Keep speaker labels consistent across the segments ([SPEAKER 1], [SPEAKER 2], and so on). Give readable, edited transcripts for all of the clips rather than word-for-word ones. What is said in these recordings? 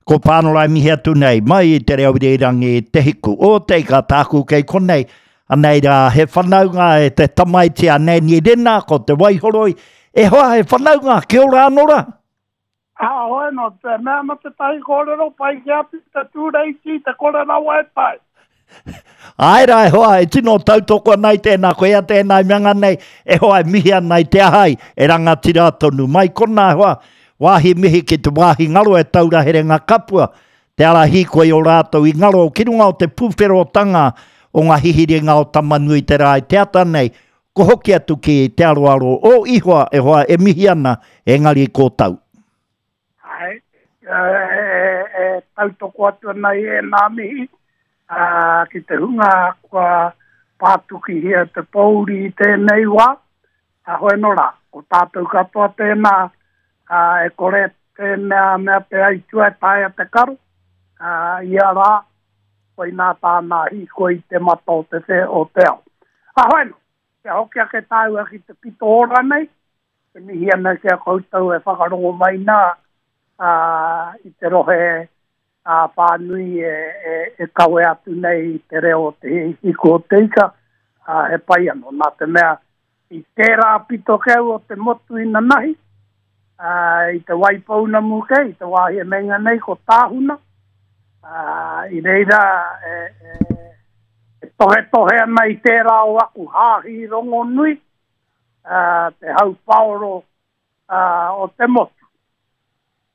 [SPEAKER 1] Ko Pānora e mihi atu nei, mai i te reo irirangi Te Hiku o Te Ika tāku kei konei. Anei rā, he whanaunga e te tamaiti a Nanny Rena, ko Te Waihoroi. E hoa, he whanaunga, kia ora anō rā.
[SPEAKER 2] Ā, hoi nō te mea ana tētahi kōrero pai ki atu te tūreiti te kore rawa e tae.
[SPEAKER 1] Āe rā e hoa, e tino tautoko ana i tēnā, koia tēnā i mea nei, e hoa e mihi ana i te aha ai, e rangatira tonu. Mai konā e hoa, wāhi mihi ki te wāhi ngaro e taura herenga kapua, te ara hīkoi o rātou i ngaro ki runga o te pūwherotanga o ngā hihiringa o Tamanui te rā i te ata nei, Ko hoki atu ki te aroaro o Ihoa e hoa e mihi ana, engari ko tau.
[SPEAKER 2] Ae, e tautoko atu ana i ēnā mihi ki te hunga kua pātukihia te pōuri i tēnei wā, heoi anō rā, ko tātou katoa tēnā, e kore tēnā mea te aitua e taea te karo, ia rā, koinā tāna hīkoi i te mata o te whē o te ao. Ahoi anō, kia hoki ake tāua ki te pito ora nei, e mihi ana ki a koutou e whakarongo mai nā i te rohe ā whānui e, e, e kawe atu nei i te reo o te hiku o te ika, ā, he pai anō, nā te mea I tērā pito keu o te motu inanahi, ā, i Te Waipounamu kei, i te wāhi e meinga nei ko Tāhuna, ā, i reira e, e, e tohetohe ana i tērā o aku hāhi rongonui, ā, te hau paoro ā, o te motu.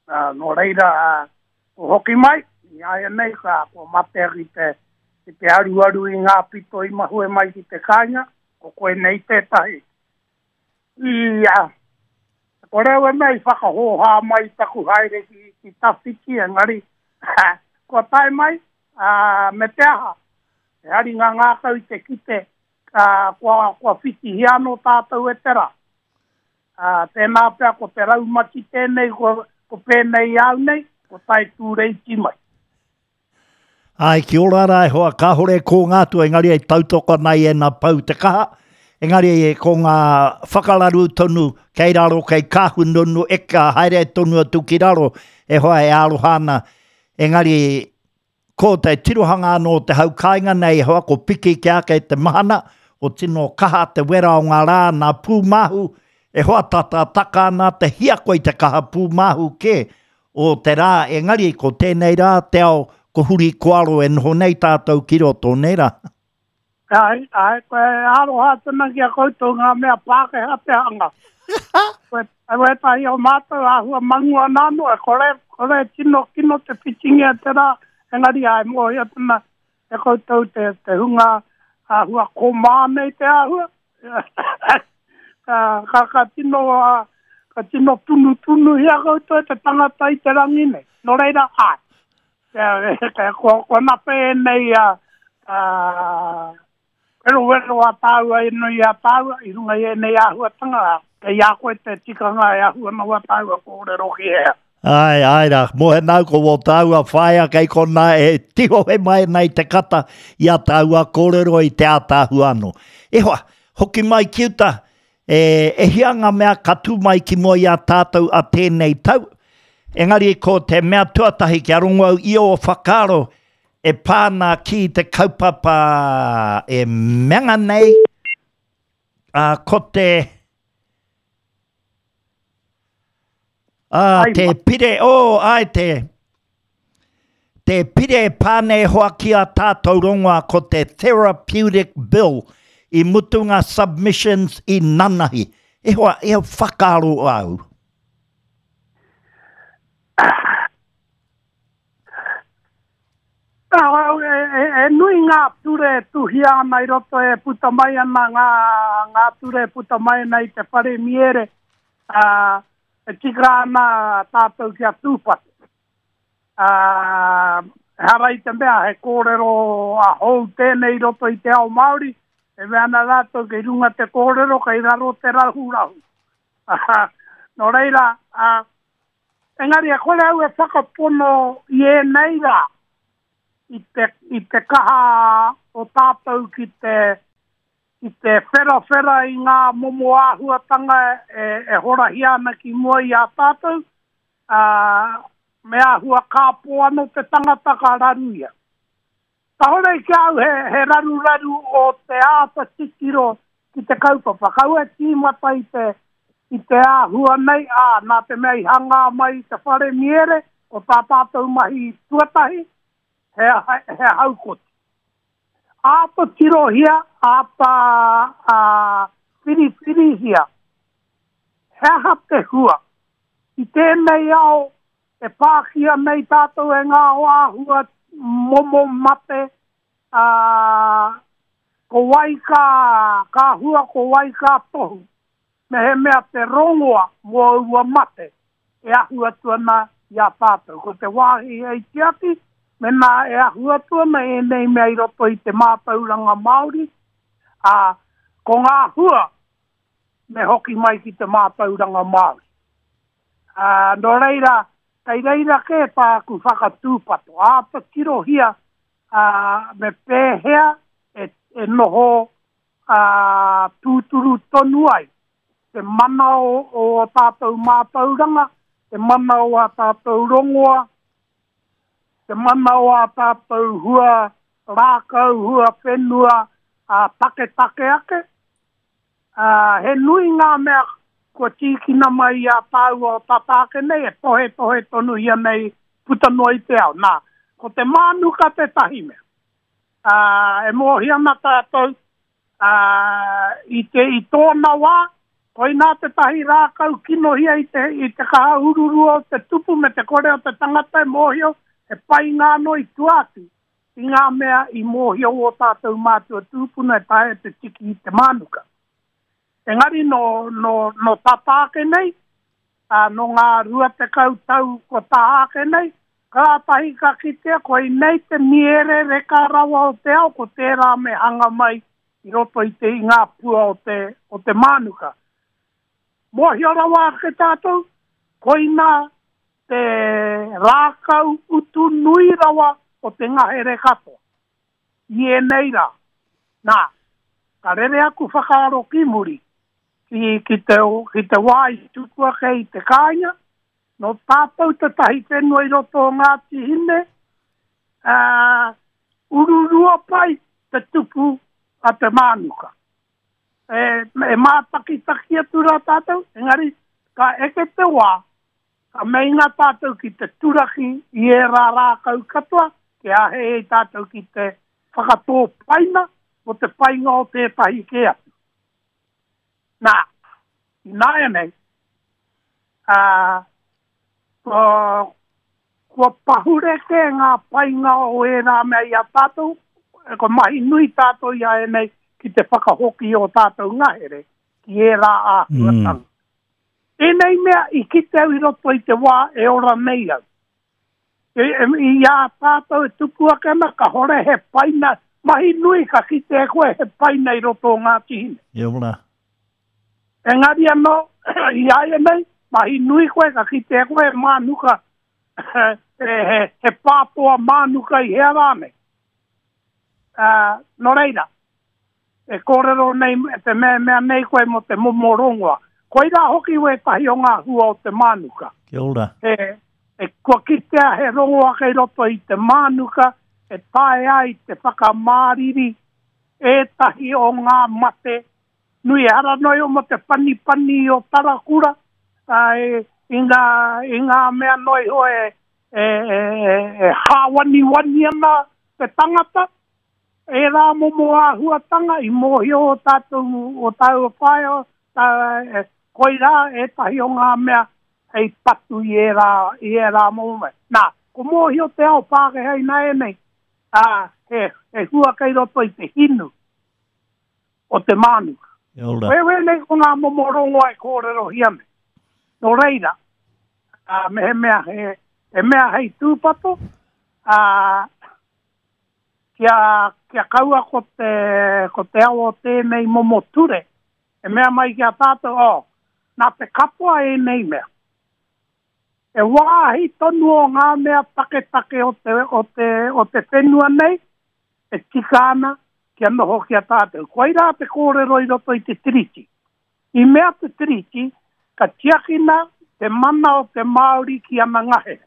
[SPEAKER 2] Ā, nō reira, ā, ko hoki mai, i āianei, ka, kua matea ki te, ki te aruaru i ngā pito i mahue mai ki te kāinga, ko koe nei tētahi. Ia, ko reo e mea i whakahōhā mai taku haere ki, ki tawhiti, engari, kua tae mai, ā, me te aha, he haringa ngākau i te kite, ā, kua, kua whitihia anō tātou e te rā. Ā, tēnā pea ko te raumati tēnei, ko, ko pēnei au nei, ko tae tūreiti mai.
[SPEAKER 1] Āe, ki ora rā e hoa, kāhore e kōnga atu, engari e tautoko ana i ēnā pou te kaha, engari e ko ngā whakararu tonu kei raro, kei Kāhununu, eka haere tonu atu ki raro, e hoa e aroha ana, engari ko te tirohanga anō o te hau kāinga nei e hoa, ko piki ki ake te mahana, ko tino kaha te wera o ngā rā nā pūmāhu, e hoa tata taka ana te hiako i te kaha pūmāhu kē, o te rā, engari ko tēnei rā te ao ko huri koaro e noho nei tātou ki roto, nē rā?
[SPEAKER 2] Āe, āe, koe e aroha atu ana ki a koutou ngā mea Pākehā te hanga. Koe, wētahi o mātou āhua mangu ana anō, e kore, kore tino kino te whitingia te rā, engari āe, mōhio atu ana e koutou te, te hunga āhua komā nei te āhua. ka, ka, ka tino, ka tino tunutunuhia koutou e te tangata i te rangi nei. Nō reira, āe. Kua, kua nape ēnei a, a, werowero a tāua e nui a tāua i runga i ēnei āhuatanga, kei a koe te tikanga e ahu ana wā tāua kōrero ki hea.
[SPEAKER 1] Āe, āe rā, mō he nāu ko wō tāua whaea kei konā e tihohe mai ana i te kata i a tāua kōrero i te ātaahua anō. E hoa, hoki mai ki uta, e, e hia ngā mea ka tū mai ki mua i a tātou a tēnei tau, engari ko te mea tuatahi kia rongo au i ō whakaaro e pā ana ki te kaupapa e mea nei, ā, ko te... Ā, te pire, oh, āe te, te pire e pā nei hoa ki a tātou rongoa ko te Therapeutic Bill i mutu ngā submissions i nanahi. E hoa, e whakaaro au.
[SPEAKER 2] E, e, e nui ngā ture e tuhia ana i roto e puta mai ana ngā, ngā ture e puta mai ana i te whare miere, ā, e tika ana tātou kia tūpato. Ā, ehara i te mea he kōrero a hou tēnei i roto i te ao Māori, e mea ana rātou kei runga te kōrero, kei raro te rahurahu. Nō reira, ā, engari e kore au e whakapono i ēnei rā, i te, i te kaha o tātou ki te, ki te wherawhera i ngā momo āhuatanga e, e horahia ana ki mua i a tātou, ā, me āhua kāpō anō te tangata ka raru ia. Kāore ki a au he, he raruraru o te āta titiro ki te kaupapa. Kaua e tīmata i te, i te āhua nei, ā, nā te mea i hangā mai i te whare miere, ko tā tātou mahi tuatahi, he, he haukoti. Āta tirohia, āta ā, whiriwhirihia, he aha te hua? I tēnei ao e pākia nei tātou e ngā āhua momo mate, ā, ko wai ka, ka hua, ko wai ka tohu, mehemea te rongoa mō aua mate e ahu atu ana i a tātou. Ko te wāhi hei tiaki, mēnā e ahu atu ana ēnei mea i roto i te mātauranga Māori, ā, ko ngā hua me hoki mai ki te mātauranga Māori. Ā, nō reira, kei reira kē tāku whakatūpato, āta tirohia, ā, me pēhea e, e noho ā, tūturu tonu ai te mana o, o ō tātou mātauranga, te mana o ā tātou rongoa, te mana o ā tātou hua rākau, hua whenua, ā, taketake ake. Ā, he nui ngā mea kua tīkina mai i a tāua o tata ake nei e tohetohe tonuhia nei puta noa i te ao. Nā, ko te mānuka tētahi mea. Ā, e mōhio ana tātou, ā, i te, i tōna wā, koinā tētahi rākau kinohia i te, i te kaha ururua o te tupu me te kore o te tangata e mōhio, he painga anō i tua atu i ngā mea i mōhio ō tātou mātua tūpuna e taea te tiki i te mānuka. Engari nō, nō, nō tata ake nei, ā, nō ngā 20 tau kua taha ake nei, kātahi ka kitea koinei te miere reka rawa o te ao, ko tērā me hanga mai i roto i te, i ngā pua o te, o te mānuka. Mōhio rawa ake tātou, koinā te rākau utu nui rawa o te ngahere katoa i ēnei rā. Nā, ka rere aku whakaaro ki muri, ki, ki te, ki te wā i tupu ake i te kāinga, nō tātou tētahi whenua i roto o Ngāti Hine, ā, ururua pai te tupu a te mānuka. E, e mātakitaki atu rā tātou, engari ka eke te wā, ka meinga tātou ki te turaki i ērā rākau katoa, kia āhei ai tātou ki te whakatō paina mō te painga o tētahi kē atu. Nā, ināianei, ā, kua, kua pahure kē ngā painga o ērā mea i a tātou, kua mahi nui tātou i a ēnei ki te whakahoki i ō tātou ngahere ki ērā āhuatanga. Mm. Ēnei mea i kite au i roto i te wā e ora nei au. E, e, I a tātou e tupu ake ana, kahore he paina, mahi nui ka kite e koe he paina i roto o Ngāti Hine.
[SPEAKER 1] E ora.
[SPEAKER 2] Engari anō, i āianei, mahi nui koe ka kite e koe he mānuka, he, he, he pātoa mānuka i hea rānei. Uh, nō reira, e kōrero nei, te mea, mea nei koe mō te momo rongoa. Koirā hoki wētahi o ngā hua o te mānuka.
[SPEAKER 1] Kia ora.
[SPEAKER 2] He, e, kua kitea he rongoa kei roto i te mānuka e taea ai te whakamāriri ētahi o ngā mate nui. Ehara noa iho mō te panipani o Tarakura, ā, e, i ngā, i ngā mea noa iho e, e, e, e, e hāwaniwani ana te tangata, Ērā momo āhuatanga i mōhio ō tātou, ō tāua whaea, tā, koirā ētahi o ngā mea hei patu i ērā, i ērā momo mea. Nā, ko mōhio te ao Pākehā ināianei, ā, he, he hua kei roto i te hinu o te mānuka.
[SPEAKER 1] Kia ora.
[SPEAKER 2] Koe wēnei ko ngā momo rongoa e kōrerohia nei. Nō reira, ā, mehemea he, he mea hei tūpato, ā, kia, kia kaua ko te, ko te ao o tēnei momo ture, e mea mai ki a tātou, oh, nā te katoa ēnei mea. E wāhi tonu o ngā mea taketake o te, o te, o te whenua nei, e tika ana kia noho ki a tātou. Koirā te kōrero i roto i te Tiriti. I mea te Tiriti, ka tiakina te mana o te Māori ki ana ngahere.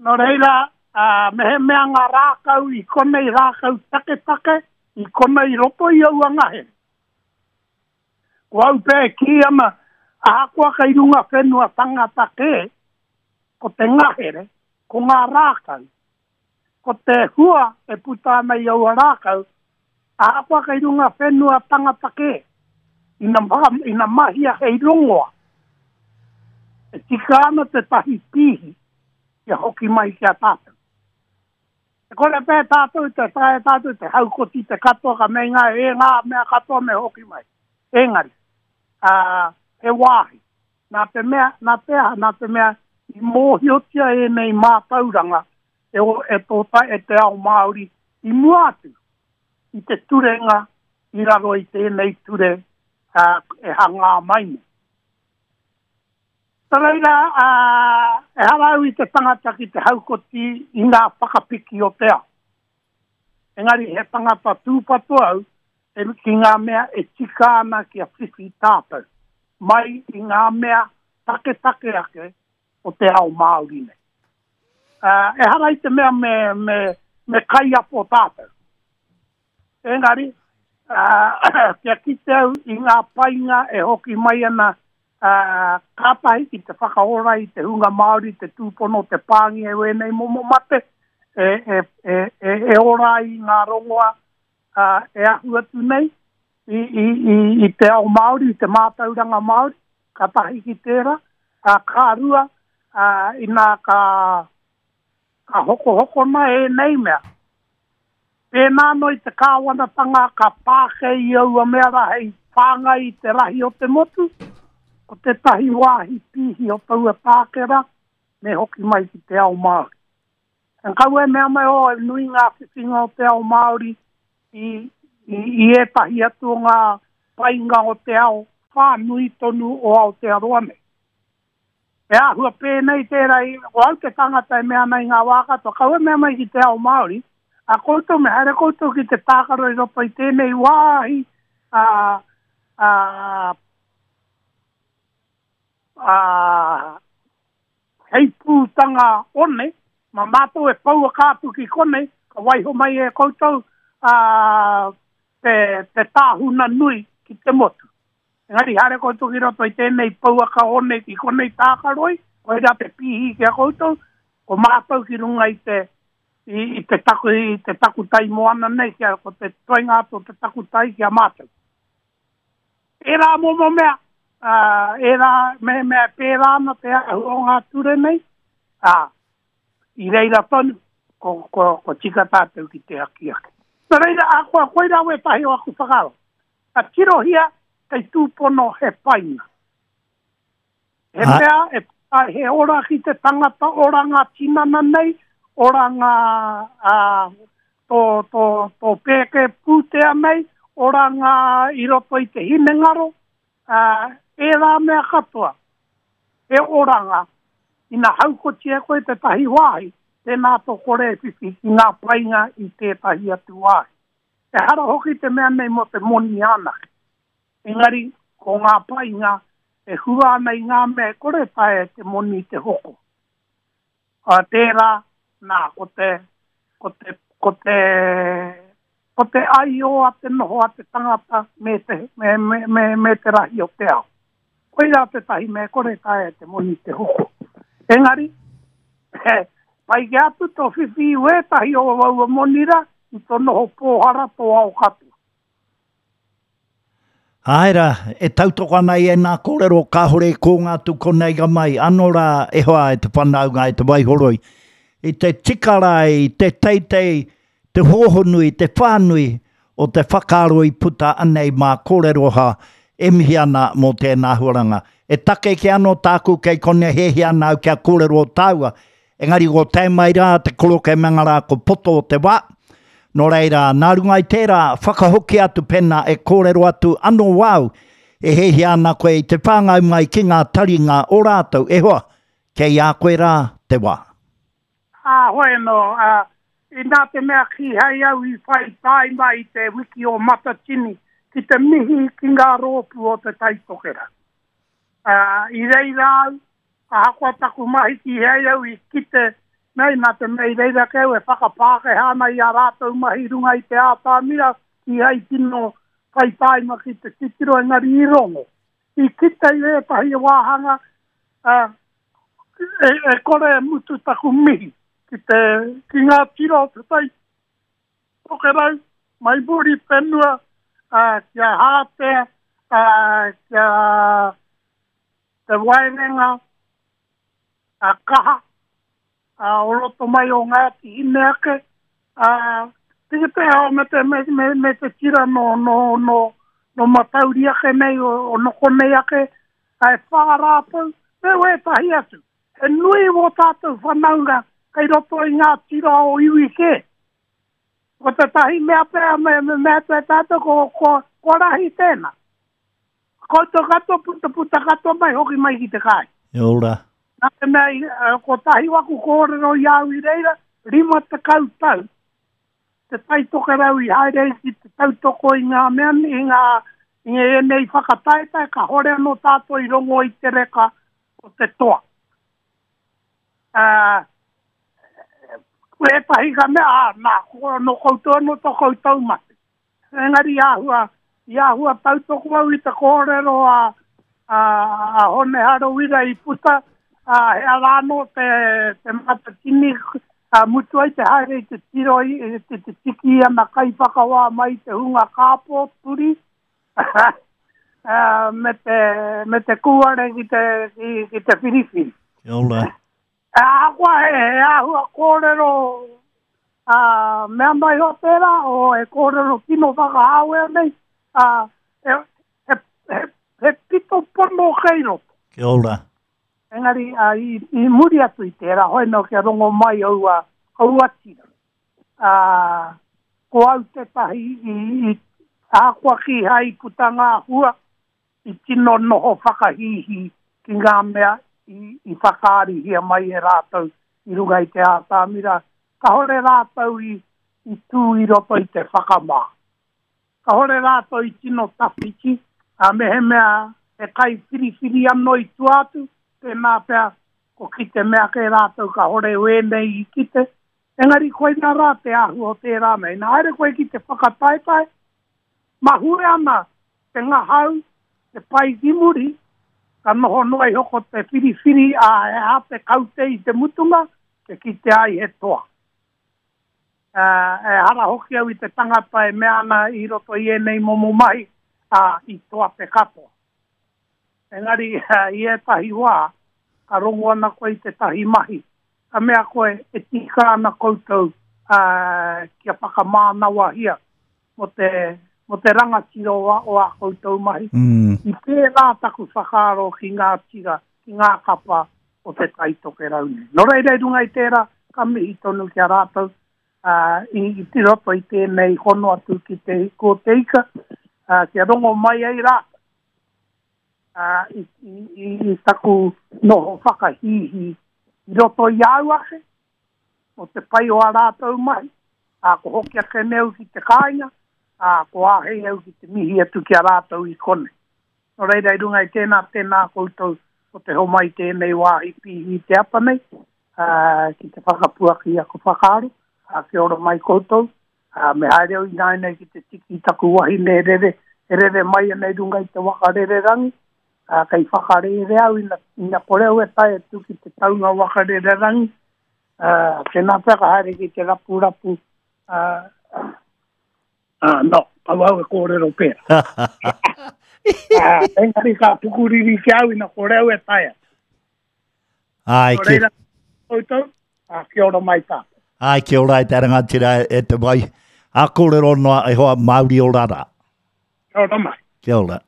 [SPEAKER 2] Nō reira, ā, mehemea ngā rākau i konei rākau taketake, i konei roto i aua ngahere. Ko au pea e kī ana, ahakoa kei runga whenua tangata kē, ko te ngahere, ko ngā rākau, ko te hua e puta ana i aua rākau, ahakoa kei runga whenua tangata kē, ina, ina mahia hei rongoa, e tika ana tētahi pīhi kia hoki mai ki a tātou. E kore pea tātou te taea tātou te haukoti te katoa ka meinga e ngā mea katoa me hoki mai. Engari, ā, he wāhi. Nā te mea, nā te aha, nā te mea i mōhiotia ēnei mātauranga e, o, e, tō, e te ao Māori i mua atu i te turenga i raro i tēnei ture ā, e hangā mai nei. Nō reira, ā, ehara au i te tangata ki te haukoti i ngā whakapiki o te ao. Engari he tangata tūpato au e, ki ngā mea e tika ana kia whiwhi tātou, mai i ngā mea taketake ake o te ao Māori nei. Ā, ehara i te mea me, me, me kaiapo tātou. Engari, ā, kia kite au i ngā painga e hoki mai ana, ā, kātahi ki te whakaora i te hunga Māori, te tūpono, te pāngia e wēnei momo mate, e, e, e, e, e ora ai ngā rongoa, ā, e ahu atu nei i, i, i, i te ao Māori, i te mātauranga Māori, ka tahi ki tērā, ā, ka rua, ā, inā ka, ka hokohokona ēnei mea. Pēnā anō i te kāwanatanga ka pāke i aua mea rā hei whāngai i te rahi o te motu, ko tētahi wāhi pīhi o taua tāke rā, me hoki mai ki te ao Māori. And kaua e mea mai, oh, e nui ngā whiwhinga o te ao Māori i, i, i ētahi atu o ngā painga o te ao whānui tonu o Aotearoa nei. He āhua pēnei tērā i, ko au te tangata e mea ana i ngā wā katoa, kaua e mea mai ki te ao Māori, a koutou me haere koutou ki te tākaro i roto i tēnei wāhi a, a, a, heipūtanga one, mā mātou e pouaka atu ki konei, ka waiho mai e koutou a, te, te tāhuna nui ki te motu. Engari haere koutou ki roto i tēnei pouaka one ki konei tākaroi, koirā te pīhi ki a koutou, ko mātou ki runga i te, i, i te, taku, i te takutai moana nei, kia, ko te toenga atu o te takutai ki a mātou. Ērā momo mea, ā, ērā, mehemea e pērā ana te āhua o ngā ture nei, ā, i reira tonu, ko, ko, ko tika tātou ki te akiaki. Nō reira, ahakoa koirā wētahi o aku whakaaro, ka tirohia kei tūpono he painga. He mea e he ora ki te tangata, ora ngā tinana nei, ora ngā ā, tō, tō, tō pēke pūtea nei, ora ngā i roto i te hinengaro, ā, ērā mea katoa, he oranga, ina haukotia koe tētahi wāhi, tēnā tō kore e whiwhi ki ngā painga i tētahi atu wāhi. Ehara hoki te mea nei mō te moni anake. Engari, ko ngā painga e hua ana i ngā mea e kore taea e te moni te hoko. Ā, tērā, nā, ko te, ko te, ko te, ko te aiō a te noho a te tangata me te, me, me, me, me te rahi o te ao. Koirā tētahi mea e kore taea e te moni te hoko. Engari, he pai kē atu tō whiwhi i wētahi o aua moni rā i tō noho pōhara tō ao katoa.
[SPEAKER 1] Āe rā, e tautoko ana i ēnā kōrero kāore i kōnga atu konei ka mai, anō rā e hoa e te whanaunga e te Waihoroi. I te tika rā i te teitei, te hōhonu i te whānui o te whakaaro i puta anei mā kōrero ha e mihi ana mō tēnā huaranga. E take kē anō tāku kei konei hiahia ana au kia kōrero tāua Engari ko tae mai rā te koroke me ngā rā ko poto o te wā. Nō reira, nā runga i tērā, whakahoki atu pēnā e kōrero atu anō wāu e hiahia ana koe i te whāngai mai ki ngā taringa o rātou, e hoa, kei a koe rā te wā.
[SPEAKER 2] Ā, hoi anō, ā, inā te mea kīhai au i whai tāima i te wiki o Matatini ki te mihi ki ngā rōpū o Te Tai Tokerau. Ā, i reira au, ahakoa taku mahi kīhai au i kite Nei, nā te mea i reira kē au e whakapākehā ana i ā rātou mahi i runga i te ātamira, kīhai tino whai tāima ki te titiro engari i rongo. I kite i ētahi wāhanga, ā, e, e kore e mutu taku mihi ki te, ki ngā tira o Te Tai Tokerau, mai Muriwhenua, ā, ki a Hātea, ā, ki a Te Waerenga, a Kaha, a o roto mai o Ngāti Hine ake, a te te ao me te, me, me, me te tira no, no, no, no Matauri ake nei, o, o noko nei ake, a e whā rātou, me wētahi atu. He nui wō tātou whanaunga kei roto i ngā tira o iwi kē. Ko tētahi mea pea me, me, me atu e tātou, ko, ko, ko rahi tēnā. Koutou katoa, puta puta katoa mai, hoki mai ki te kāinga.
[SPEAKER 1] Kia ora.
[SPEAKER 2] Nā te mea, i, kotahi waku kōrero i a au i reira, 50 tau te Tai Tokerau i haere ai ki te tautoko i ngā mea, i ngā, i ēnei whakataetae, kahore anō tātou i rongo i te reka o te toa. Uh, ētahi ka mea, ah, nā, ko, nō koutou anō tō koutou mate. Engari i āhua, i āhua tautoko au i te kōrero a, a, a Hone Harawira i puta, a, he ara anō te, te matatini, a, mutu ai te haere i te tiro i, te, te tiki i ana kaiwhakawā mai i te hunga kāpō, turi, a, me te, me te kūare ki te, ki, ki te whiriwhiri.
[SPEAKER 1] Kia ora.
[SPEAKER 2] Ahakoa he āhua kōrero ā, mea mai o tērā, o he kōrero tino whakahāwea nei, ā, he, he, he, he pito pono kei roto.
[SPEAKER 1] Kia ora.
[SPEAKER 2] Engari, ā, i, i muri atu i tērā, hoi nō kia rongo mai aua, aua tira. Ā, ko au tētahi i, i, ahakoa kīhai i puta ngā hua, i tino noho whakahīhī ki ngā mea i whakaarihia mai e rātou i runga i te ātamira, kāore rātou i tū i roto i te whakamā. Kāore rātou i tino tawhiti, ā, mehemea he kaiwhiriwhiri anō i tua atu, tēnā pea ko kite mea kē rātou kāore wēnei i kite, engari koinā rā te āhua o tērā mea. Ina haere koe ki te whakataetae, mahue ana te ngahau, te pai ki muri, ka noho noa iho ko te whiriwhiri a he aha te kaute i te mutunga, te kite ai he toa. Ehara hoki au i te tangata e mea ana i roto i ēnei momo mahi, ā, i toa te katoa. Engari, i ētahi wā, ka rongo ana koe i tētahi mahi, ka mea koe e tika ana koutou kia whakamānawahia mō te, mō te rangatira o, o ā koutou mahi.
[SPEAKER 1] Mm.
[SPEAKER 2] I pērā taku whakaaro ki ngā tira, ki ngā kapa o Te Tai Tokerau nei. Nō reira i runga i tērā, ka mihi tonu ki a rātou ā, i, i roto i tēnei hono atu ki te hiku o te ika, ā, kia rongo mai ai rātou ā, i, i, i, i taku noho whakahīhī i roto i a au ake, o te pai o ā rātou mahi, ā, ko hoki ake nei au ki te kāinga, ā, ko āhei au ki te mihi atu ki a rātou i konei. Nō reira, i runga i tēnā, tēnā koutou o te homai tēnei wāhi pīhi i te ata nei, ā, ki te whakapuaki i aku whakaaro, ā, kia ora mai koutou, ā, me haere au ināianei ki te tiki i taku wahine e rere, e rere mai ana i runga i te waka rererangi, ā, kei whakarērea au ina, ina kore au e tae atu ki te taunga waka rererangi, ā, tēnā pea ka haere ki te rapurapu, ā, ā, no, kaua au e kōrero pērā. Ā, engari ka pukuriri ki a au ina kore au e tae atu.
[SPEAKER 1] Ai,
[SPEAKER 2] Nō reira, koutou, ā, kia ora mai tātou.
[SPEAKER 1] Ai, kia ora e te rangatira e te wai. A kōrero noa e hoa Māori ora rā.
[SPEAKER 2] Kia ora mai.
[SPEAKER 1] Kia ora.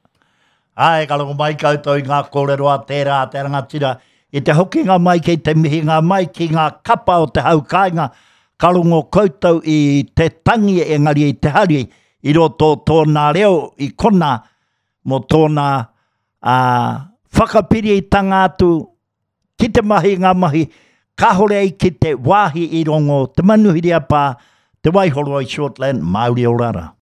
[SPEAKER 1] Ai, ka rongo mai koutou i ngā kōrero a tērā a te rangatira. I te hokinga mai kei te mihinga mai ki ngā kapa o te hau kāinga, ka rongo koutou i te tangi engari i te hari i roto o tōna reo i kona mō tōna ā, whakapiritanga atu ki te mahi ngā mahi, kāore ai ki te wāhi i rongo te manuhiri a Pā, te Waihoroi Shortland, Māori ora rā.